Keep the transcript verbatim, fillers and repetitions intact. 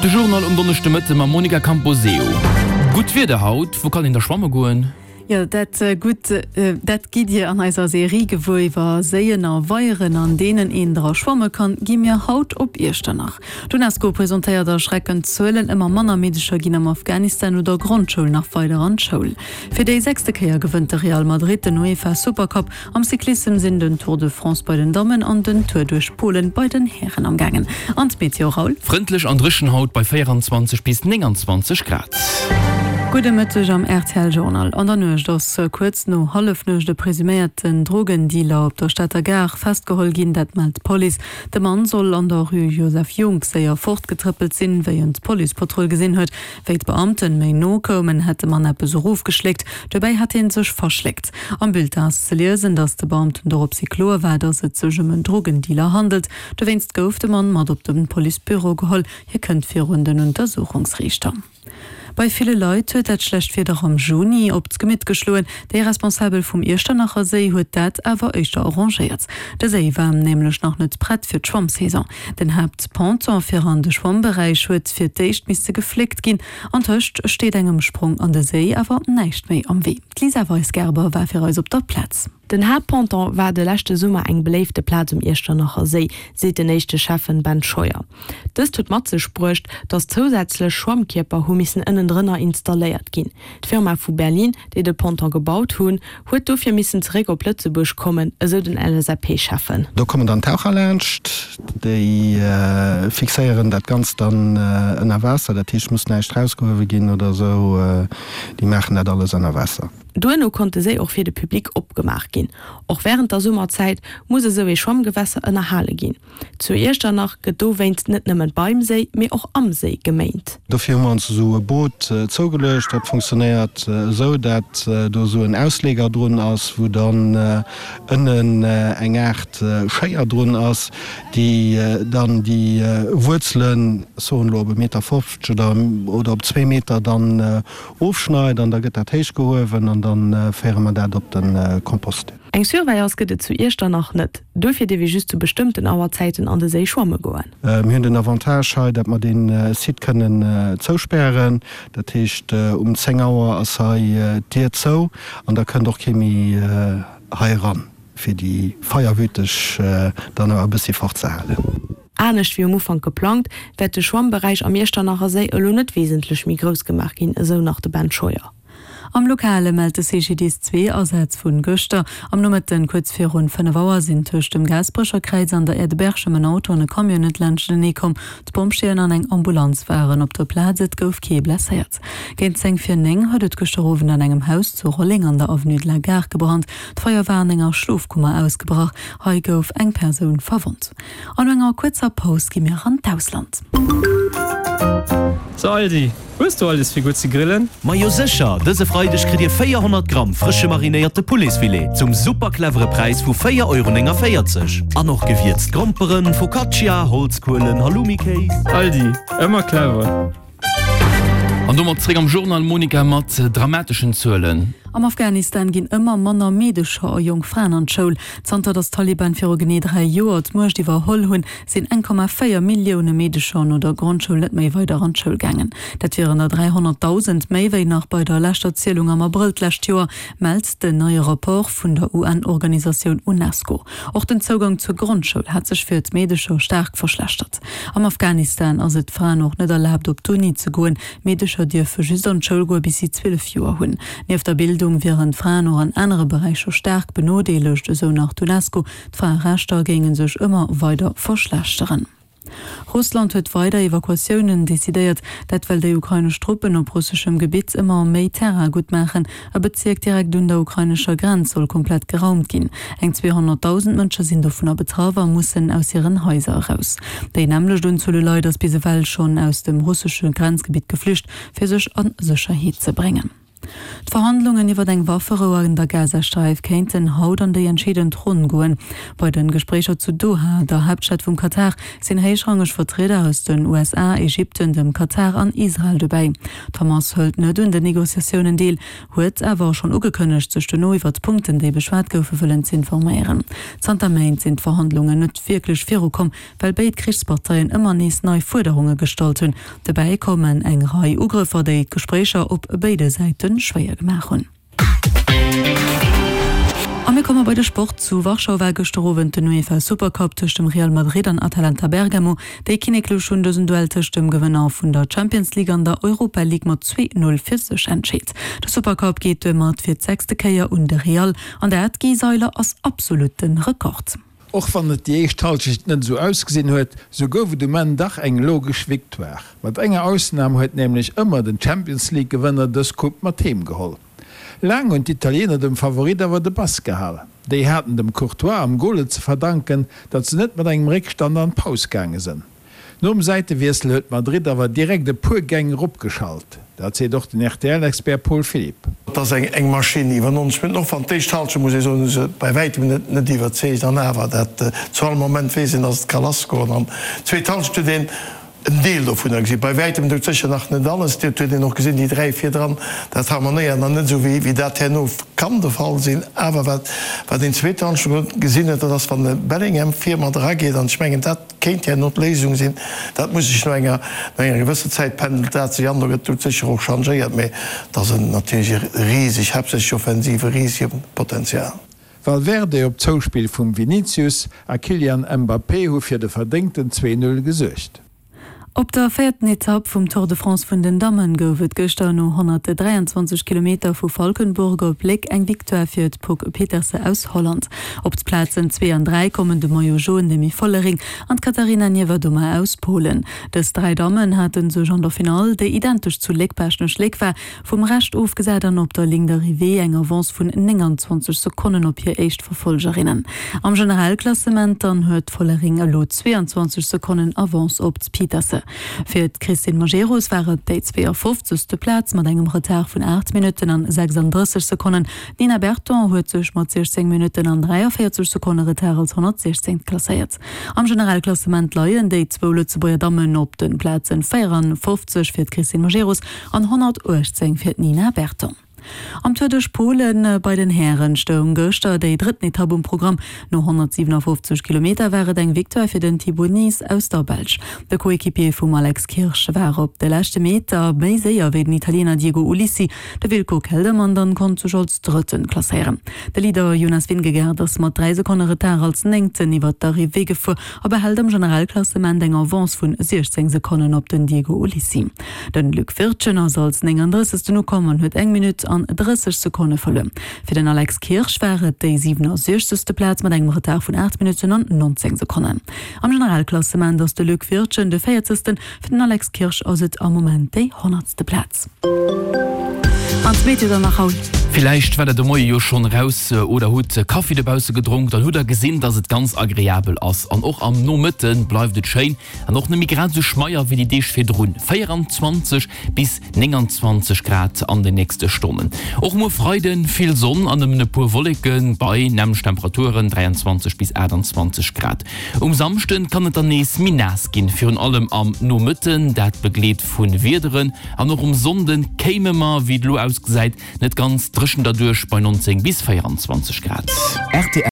De Journal um Donneschdemëtte mam Monica Camposeo. Gutt Wieder haut, wou kann een da schwamme goen? Jo, dat gutt, dat gitt Dir an eiser Serie gewuer. Iwwer Séien a Weieren, an deenen een dra schwamme kann, gi mir haut op Iechternach. D'UNESCO presentéiert erschreckend Zuelen, Ëmmer manner Meedecher ginn am Afghanistan no der Grondschoul nach weider an d'Schoul. Fir déi sechste Kéier gewënnt de Real Madrid den UEFA Supercup. Am Cyclissem sinn den Tour de France bei den Dammen an den Tour duerch Polen bei den Hären am gaangen. An d'Meteo, Raoul? Frëndlech an dréchen haut bei véieranzwanzeg bis nénganzwanzeg Grad. Gudde Mëtteg am R T L Journal. An der Nuecht ass kuerz no Hallefnuecht e presuméierten Drogendealer op der Stater Gare festgeholl ginn, dat mellt d'Police. De Mann soll an der Rue Joseph Junck séier fortgetrëppelt sinn, wéi en d'Policepatrull gesinn huet. Wéi d'Beamten méi no koumen, hätt de Mann eppes erofgeschléckt. Dobäi hätt hie sech verschléckt. Am Bulletin ass ze liesen, datt de Beamten doropshi kloer war, datt et sech ëm en Drogendealer handelt. Dowéinst gouf de Mann mat op de Policebüro geholl. Hie kënnt virun den Untersuchungsriichter. Bei ville Leit huet dat schlecht Wieder am Juni op d'Gemitt geschloen. Déi Responsabel vum Iechternacher Séi huet dat awer éischter arrangéiert. De Séi war nämlech nach net prett fir d'Schwammsaison. Den Haaptponton fir an de Schwammberäich huet fir d'éischt misse gefléckt ginn. Antëscht steet engem Sprong an de Séi awer näischt méi am Wee. D'Lisa Weisgerber war fir eis op der Plaz. Den Haaptponton war de leschte Summer eng beléifte Plaz um Iechternacher Séi, seet den éischte Schäffen Ben Scheuer. Dëst huet mat sech bruecht, datt zousätzlech Schwammkierper hu missen ënnendrënner installéiert ginn. D'Firma vu Berlin, déi de Ponton gebaut hunn, huet dofir missen zeréck op Lëtzebuerg kommen, esou den L S A P-Schäffen. Do kommen dann Taucher laanscht, déi fixéieren dat Ganzt dann ënner Waasser, dat heescht, muss näischt rausgehuewe ginn oder esou, déi maachen dat alles ënner Waasser. Duerno konnt de Séi och fir de Public opgemaach ginn. Och wärend der Summerzäit muss esou ee Schwammgewässer ënnerhale ginn. Zu Iechternach gëtt dowéinst net nëmmen beim Séi, mee och am Séi geméint. Dofir hu mer ons esou e Boot zougeluecht. Dat funktionéiert esou, dat do esou en Ausleger drun ass, wou dann ënnen eng Aart Schéier drun ass, déi dann déi Wuerzelen, soen elo op e Meter fofzeg oder oder op zwee Meter dann ofschneit an da gëtt dat héich gehuewen an da féiere mer dat op de Kompost. Eng Surveillance gëtt et zu Iechternach net, dofir dierf ee just zu bestëmmten Auerzäiten an de Séi schwamme goen. Mir hunn den Avantage hei, dat mer dee Site kënnen zouspären. Dat heescht, um zéng Auer ass hei d'Dier zou an da kënnt och kee méi hei eran, fir déi Feierwüteg dann awer e bëssi fortzehalen. Anescht wéi um Ufank geplangt, wäert de Schwammberäich am Iechternacher Séi elo net wesentlech méi grouss gemaach ginn, esou nach de Ben Scheuer. Am Lokale mellt de C G D I S zwee Asätz vu gëschter. Am Nomëtten kuerz virun fënnef Auer sinn tëscht dem Gaasperecher Kräiz an der Aire de Berchem en Auto an e Camion net laanschtenee komm. D'Pompjeeën an eng Ambulanz waren op der Plaz, et gouf kee blesséiert. Géint zéng vir néng huet et gëschter Owend an engem Haus zu Rolleng an der Avenue de la Gare gebrannt. D'Feier war an enger Schlofkummer ausgebrach. Hei gouf eng Persoun verwonnt. An no enger kuerzer Paus gi mir an d'Ausland. So Aldi, hues du alles fir gutt ze grillen? Majo sécher, dëse Freideg kritt Dir véierhonnert Gramm frësche marinéierte Pouletsfilet zum super clevere Präis vu véier Euro néngavéierzeg. An och gewierzt Gromperen, Focaccia, Holzkuelen, Halloumi-Kéis. Aldi, ëmmer clever. An domat zréck am Journal, Monica, mat dramateschen Zuelen. Am Afghanistan ginn ëmmer manner Meedecher a jonk Fraen an d'Schoul. Zanter datt d'Taliban viru genee dräi Joer d'Muecht iwwerholl hunn, sinn eng Komma véier Millioune Meedecher no der Grondschoul net méi weider an d'Schoul gaangen. Dat wieren der dräihonnertdausend méi wéi nach bei der leschter Zielung am Abrëll d'lescht Joer, mellt den neie Rapport vun der U N-Organisatioun UNESCO. Och den Zougang zur Grondschoul hat sech fir d'Meedecher staark verschlechtert. Am Afghanistan ass et Fraen och net erlaabt, op d'Uni ze goen. Meedecher dierfe just an d'Schoul goe bis si zwielef Joer hunn. Nieft der Bildung wieren d'Fraen och an anere Beräicher staark benodeelegt, esou nach d'UNESCO. D'Fraerechter géinge sech ëmmer weider verschlechteren. Russland huet weider Evakuatiounen decidéiert, dat well déi ukrainesch Truppen op russeschem Gebitt ëmmer méi Terrain gutt maachen. E Bezierk direkt un der ukrainescher Grenz soll komplett geraumt ginn. Eng zweehonnertdausend Mënsche sinn dovunner betraff a mussen aus hiren Haiser eraus. Déi nämmlecht Unzuel u Leit ass bis ewell schonn aus dem russesche Grenzgebitt geflücht, fir sech a Sécherheet ze bréngen. D'Verhandlungen iwwer eng Wafferou an der Gazasträif kéinten haut an déi entscheedend Ronn goen. Bei de Gespréicher zu Doha, der Haaptstad vum Katar, sinn héichrangeg Vertrieder aus den U S A, Ägypten, dem Katar an Israel dobäi. D'Hamas hëlt net un den Negociatiounen deel, huet awer schonn ugekënnegt, sech dono iwwer d'Punkten, déi beschwat goufen, wëllen z'informéieren. Zanter Méint sinn d'Verhandlungen net wierklech virukomm, well béid Krichsparteien ëmmer nees nei Fuerderunge gestallt hunn. Dobäi kommen eng Rei Ugrëffer, déi d'Gespréicher op béide Säite schwéier gemaach hunn. A mir komme bei de Sport. Zu Warschau war gëschter Owend den UEFA Supercup tëscht dem Real Madrid an Atalanta Bergamo. Déi Kinneklech hunn dësen Duell tëscht dem Gewënner vun der Champions League an der Europa League mat zwee Null fir sech entscheet. De Supercup geet domat fir d'sechste Kéier un de Real an dat, Guy Seiler, ass absolutte Rekord. Och wann et déi éischt Hallschecht net esou ausgesinn huet, sou gouf et um Enn dach eng logesch Victoire. Mat enger Ausnam huet nämlech ëmmer den Champions League Gewënner dës Coupe mat heem geholl. Laang hunn d'Italiener dem Favorit awer de Pass gehal. Déi haten dem Courtois am Gol et ze verdanken, datt se net mat engem Réckstand an d'Paus gaange sënn. Nom Säitewiessel huet Madrid awer direkt e puer Gäng eropgeschalt. Dat seet och den R T L-Expert Paul Philipp. Et ass eng eng Maschinn iwwer neunzeg Minutten. Och wann d'éischt Hallschent, muss ee soen, hu se bei wäitem net net iwwerzeegt. An awer, dat zu all Moment weess een, datt et ka lassgoen. An d'zweet Hallschent huet een en Deel dovunner gesinn. Bei wäitem dout sécher nach net alles. Dat huet een och gesinn, déi dräi virdran, dat harmonéiert nach net esou, wéi wéi dat herno kann de Fall sinn. Awer wat wat een zweet Hallschent gesinn huet, dat ass, wann de Bellingham vir mat erageet. An ech mengen, dat kéint herno d'Léisung sinn. Dat muss sech no enger no enger gewësser Zäit pendelt dat sech an. Do gëtt dout sécher och changéiert. Mee dat ass en natierlech e riseg, haaptsächlech offensiv, e risege Potenzial. Valverde op Zouspill vum Vinicius a Kylian Mbappé hu fir de verdéngten zwee Null gesuergt. Op der véierten Etapp vum Tour de France vun den Dammen gouf et gëschter no honnertdräianzwanzeg Kilometer vu Valkenburg op Léck eng Victoire fir d'Puck Pieterse aus Holland. Op d'Plazen zwee an dräi kommen de Maillot jaune Demi Vollering an d'Katarina Niewiadoma aus Polen. Dës dräi Dammen hate sech an der Finall, déi identesch zu Léck-Baaschtnech-Léck war, vum Rescht ofgesat an op der Ligne d'arrivée eng Avance vun nénganzwanzeg Sekonnen op hir éischt Verfolgerinnen. Am Generalklassement dann huet Vollering elo zweeanzwanzeg Sekonnen Avance op d'Pieterse. Fir d'Christine Majerus war et déi zweeënfofzegste Plaz mat engem Retard vun aacht Minutten an sechsunddrësseg Sekonnen. Nina Berton huet sech mat siechzéng Minutten an dräiavéierzeg Sekonne Retard als honnertsiechzéngt klasséiert. Am Generalklassement leien déi zwou Lëtzebuerger Dammen op den Plazen véieranfofzeg fir d'Christine Majerus an honnertuechtzéng fir d'Nina Berton. Am Tour duerch Polen bei den Hären stoung gëschter déi drëtten Etapp um Programm. No honnertsiewenundfofzeg Kilometer war et eng Victoire fir den Thibaut Nys aus der Belsch. De Coéquipier vum Alex Kirsch war op de leschte Meter méi séier wéi den Italiener Diego Ulissi. De Wilco Kelderman dann konnt sech als Drëtten klasséieren. De Leader Jonas Vingegaard ass mat dräi Sekonne Retard als Néngten iwwer d'Arrivée gefuer a behält am Generalklassement eng Avance vun siechzéng Sekonnen op den Diego Ulissi. Den Luc Wirtgen ass als nénganddrëssegsten ukomm an huet eng Minutt an drësseg Sekonne verluer. Fir den Alex Kirsch war et déi siewenundsechzegste Plaz mat engem Retard vun aacht Minutten an neunzéng Sekonnen. Am Generalklassement ass de Luc Wirtgen de véierzegsten, fir den Alex Kirsch ass et am Moment déi honnertste Plaz. An d'Meteo dann nach haut. Villäicht war der de Moie jo schonn raus oder hutt Kaffi dobausse gedronk, dann hutt der gesinn, dass et ganz agreabel ass. An och am Nomëtte bleift et schéin an och net méi grad esou schmeier wéi déi Deeg virdrun. véieranzwanzeg bis nénganzwanzeg Grad an den nächste Stonnen. Och muer Freiden vill Sonn an nëmmen e puer Wolleken bei nämlech Temperaturen dräianzwanzeg bis aachtundzwanzeg Grad. Um Samschden kann et dann nees méi naass ginn, virun allem am Nomëtten, dat begleet vu Wiederen. An och um Sonnden kéime mer, wéi et elo ausgesäit, net ganz dréchen derduerch bei neunzéng bis véieranzwanzeg Grad. R T L.